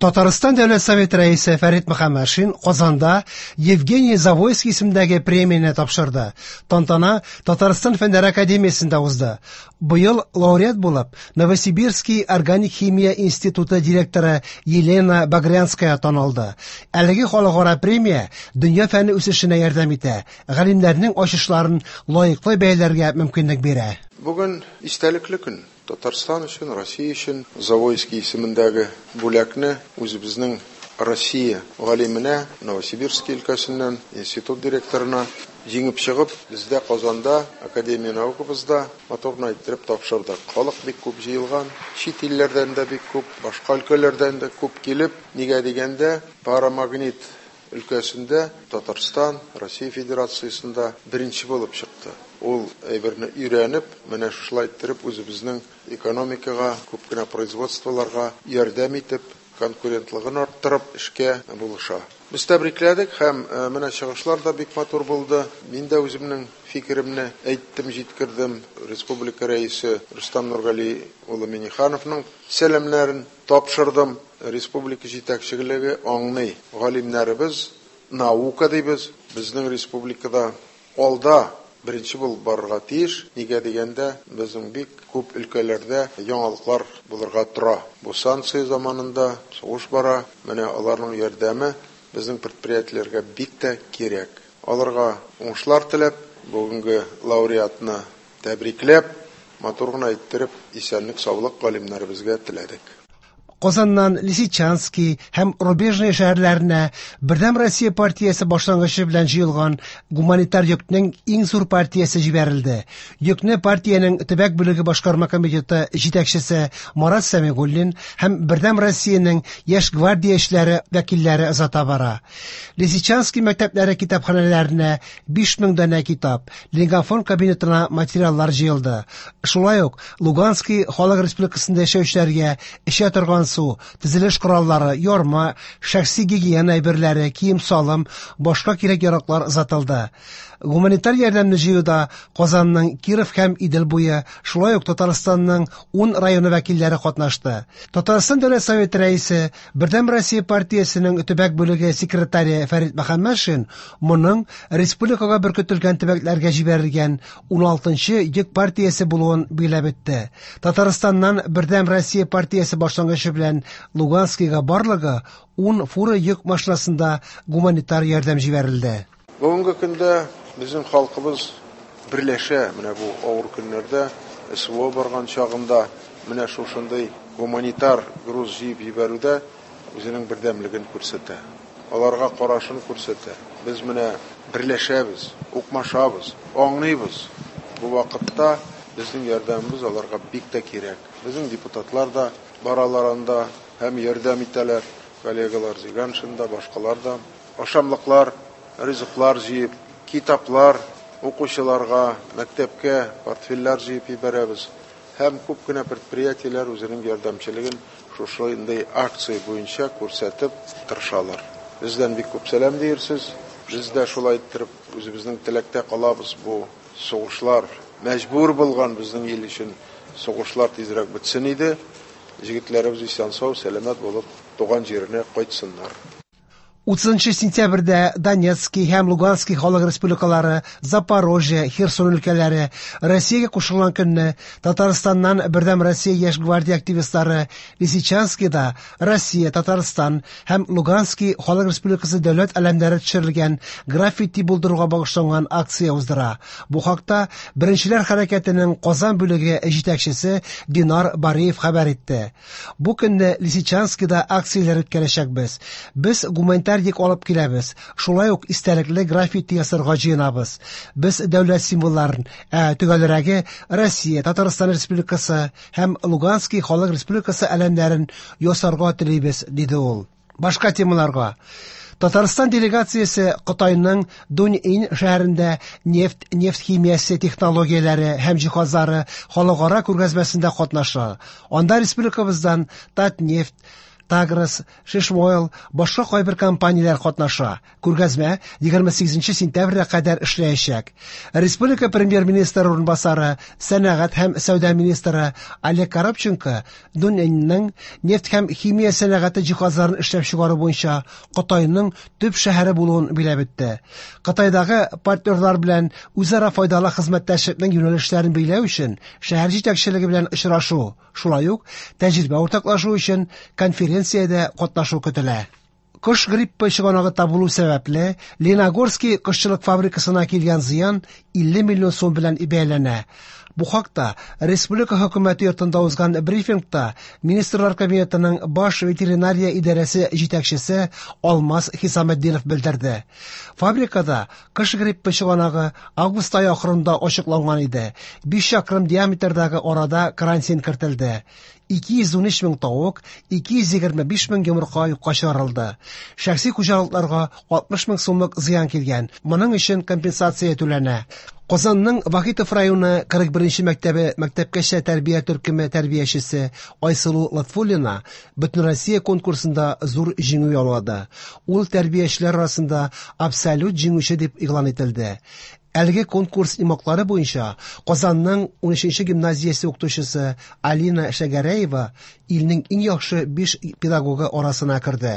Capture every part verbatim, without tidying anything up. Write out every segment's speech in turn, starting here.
Татарстан Дәүләт Советы рәисе Фәрит Мөхәммәтшин Казанда Евгений Завойский исемендәге премияне тапшырды. Тантана Татарстан Фәннәр академиясендә узды. Быел лауреат булып Новосибирский органик химия институты директоры Елена Багрянская танылды. Әлеге халыкара премия дөнья фәне үсешенә ярдәм итә, галимнәрнең ачышларын лаеклы бәяләргә мөмкинлек бирә. Бүген истәлекле көн. Татарстан өчен, Россия өчен Завойский исемендәге бүләкне үзебезнең Россия галименә, Новосибирский өлкәсеннән институт директорына җиңеп чыгып, бездә Казанда, Академия наукабызда матур гына иттереп тапшырдык. Халык бик күп җыелган, чит илләрдән дә бик күп, башка өлкәләрдән дә күп килеп, нигә дигәндә, парамагнит өлкәсендә Татарстан, Россия Федерациясендә беренче булып чыкты. Ул әйберне өйрәнеп, менә шушылай иттереп үзебезнең экономикага, күп кенә производстволарга ярдәм итеп, конкурентлыгын арттырып эшкә булыша. Без тәбрикләдек һәм менә чыгышлар да бик матур булды. Мин дә үземнең фикеремне әйттем, җиткердем. Республика рәисе Рөстәм Нургали улы Миннихановның сәламнәрен тапшырдым. Республика җитәкчелеге аңлый. Галимнәребез наука дибез. Безнең республикада алда беренче булып барырга тиеш. Нигә дигәндә, безнең бик күп өлкәләрдә яңалыклар булырга тора. Бу санкция заманында сугыш бара. Менә аларның ярдәме безнең предприятиеләргә бик тә кирәк. Аларга уңышлар теләп, бүгенге лауреатны тәбрикләп, матур гына иттереп, исәнлек, саулык галимнәребезгә теләдек. Казаннан Лисичанский һәм Рубежный шәһәрләренә Бердәм Россия партиясе башлангычы белән җыелган гуманитар йөкнең иң зур партиясе җибәрелде. Йөкне партиянең төбәк бүлеге башкарма комитеты җитәкчесе Марат Сәмигуллин һәм Бердәм Россиянең яшь гвардиячеләре вәкилләре озата бара. Лисичанский мәктәпләре китапханәләренә биш мең данә китап, лингофон кабинетына материаллар җыелды. Шулай ук Луганский халык республикасында яшәүчеләргә эчә торган су, төзелеш кораллары, ярма, шәхси гигиена әйберләре, кием-салым, башка кирәк-яраклар озатылды. Гуманитар ярдәмне җыюда Казанның Киров һәм Идел буе, шулай ук Татарстанның ун районы вәкилләре катнашты. Татарстан Дәүләт Советы рәисе, Бердәм Россия партиясенең төбәк бүлеге секретаре Фәрит Мөхәммәтшин моның республикага беркетелгән төбәкләргә җибәрелгән уналтынчы йөк партиясе булуын билгеләп үтте. Татарстаннан Бердәм Россия партиясе башлангычы белән Луганскийга барлыгы ун фура йөк машинасында гуманитар ярдәм җибәрелде. Бүгенге көндә безнең халкыбыз берләшә, менә бу авыр көннәрдә, СВО барган чагында менә шушындый гуманитар груз җыеп җибәрүдә үзенең бердәмлеген күрсәтә. Аларга карашын күрсәтә. Без менә берләшәбез, укмашабыз, аңлыйбыз. Бу вакытта безнең ярдәмебез аларга бик тә кирәк. Безнең депутатлар да баралар анда һәм ярдәм итәләр. Коллегалар Зиганшин да, башкалар да. Ашамлыклар, ризыклар җыеп, китаплар укучыларга, мәктәпкә портфельләр җыеп җибәрәбез. Һәм күп кенә предприятиеләр үзенең ярдәмчелеген шушындый акция буенча күрсәтеп тырышалар. Бездән бик күп сәлам диерсез. Без дә шулай иттереп үзебезнең теләктә калабыз. Бу сугышлар мәҗбүр булган безнең ил өчен сугышлар тизрәк бетсен иде. Җегетләребез исән-сау, сәламәт булып туган җиренә кайтсыннар. Утызынчы сентябрьдә Донецкий һәм Луганский халык республикалары, Запорожье, Херсон өлкәләре Россиягә кушылган көнне Татарстаннан Бердәм Россия яшь гвардия активистлары Лисичанскийда Россия, Татарстан һәм Луганский халык республикасы дәүләт әләмнәре төшерелгән граффити булдыруга багышланган акция уздыра. Бу хакта Беренчеләр хәрәкәтенең Казан бүлеге җитәкчесе Динар Бариев хәбәр итте. Бу көнне Лисичанскийда акцияләр үткәрәчәкбез. Без гуманитар йөк алып киләбез. Шулай ук истәлекле граффити ясарга җыенабыз. Без дәүләт символларын, ә төгәлрәге Россия, Татарстан Республикасы һәм Луганский халык республикасы әләмнәрен ясарга телибез, диде ул. Башка темаларга. Татарстан делегациясе Кытайның Дуньин шәһәрендә нефть, нефть химиясе технологияләре һәм җиһазлары халыкара күргәзмәсендә катнаша. Анда республикабыздан Татнефть, Таграс, Шишмойл, башка кайбер компанияләр катнаша. Күргәзмә егерме сигезенче сентябрьгә кадәр эшләячәк. Республика премьер-министры урынбасары, сәнәгать һәм сәүдә министры Олег Коробченко Дуньэньның нефть һәм химия сәнәгате җиһазларын эшләп чыгару буенча Кытайның төп шәһәре булуын биләп үтте. Кытайдагы партнерлар белән үзара файдалы хезмәттәшлекнең юнәлешләрен билгеләү өчен шәһәр җитәкчелеге белән очрашу, шулай ук тәҗрибә уртаклашу өчен конференциядә катнашу көтелә. Кош гриппы чыганагы табылу сәбәпле Леногорский кошчылык фабрикасына килгән зыян илле миллион сум белән бәяләнә. Бу хакта Республика хөкүмәте йортында узган брифингта Министрлар Кабинетының баш ветеринария идарәсе җитәкчесе Алмаз Хисаметдинов белдерде. Фабрикада кош гриппы чыганагы август ае ахырында ачыкланган иде. Биш чакрым диаметрдагы арада карантин кертелде. Ике йөз ун өч мең тавык, ике йөз егерме биш мең йомырка юкка чыгарылды. Шәхси хуҗалыкларга алтмыш мең сумлык зыян килгән. Моның өчен компенсация түләнә. Казанның Вахитов районы кырык беренче мәктәбе мәктәпкәчә тәрбия төркеме тәрбиячесе Айсылу Латфуллина Бөтенроссия конкурсында зур җиңү яулады. Ул тәрбиячеләр арасында абсолют җиңүче дип игълан ителде. Әлеге конкурс йомгаклары буенча Казанның ун өченче гимназиясе укытучысы Алина Шәгәрәева илнең иң яхшы биш педагогы арасына керде.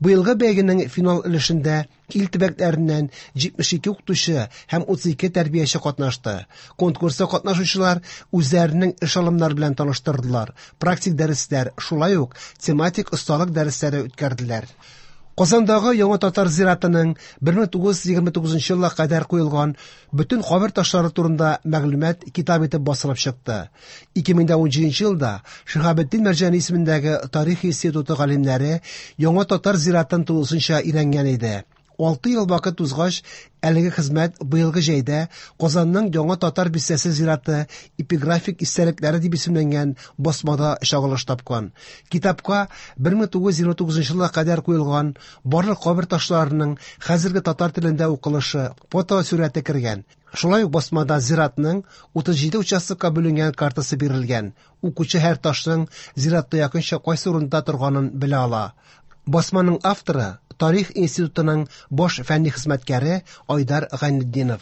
Быелгы бәйгенең финал өлешендә ил төбәкләреннән җитмеш ике укытучы һәм утыз ике тәрбияче катнашты. Конкурста катнашучылар үзләренең эш алымнары белән таныштырдылар, практик дәресләр, шулай ук тематик осталык дәресләре үткәрделәр. Казандагы Яңа Татар зиратының бер мең тугыз йөз егерме тугызынчы елга кадәр куелган бөтен кабер ташлары турында мәгълүмат китап итеп басылып чыкты. Ике мең дә унҗиденче елда Шиһабетдин Мәрҗани исемендәге Тарих институты галимнәре Яңа Татар зиратын тулысынча өйрәнгән иде. Алты ел вакыт узгач, әлеге хезмәт быелгы җәйдә Казанның Яңа Татар бистәсе зираты эпиграфик истәлекләре дип исемләнгән басмада чагылыш тапкан. Китапка бер мең тугыз йөз егерме тугызынчы елга кадәр куелган барлык кабер ташларының хәзерге татар телендә укылышы, фотосурәте кергән. Шулай ук басмада зиратның утыз җиде участокка бүленгән картасы бирелгән. Укучы һәр ташның зиратта якынча кайсы урында торганын белә ала. Басманың авторы Тарих институтының баш фәнни хезмәткәре Айдар Гайнетдинов.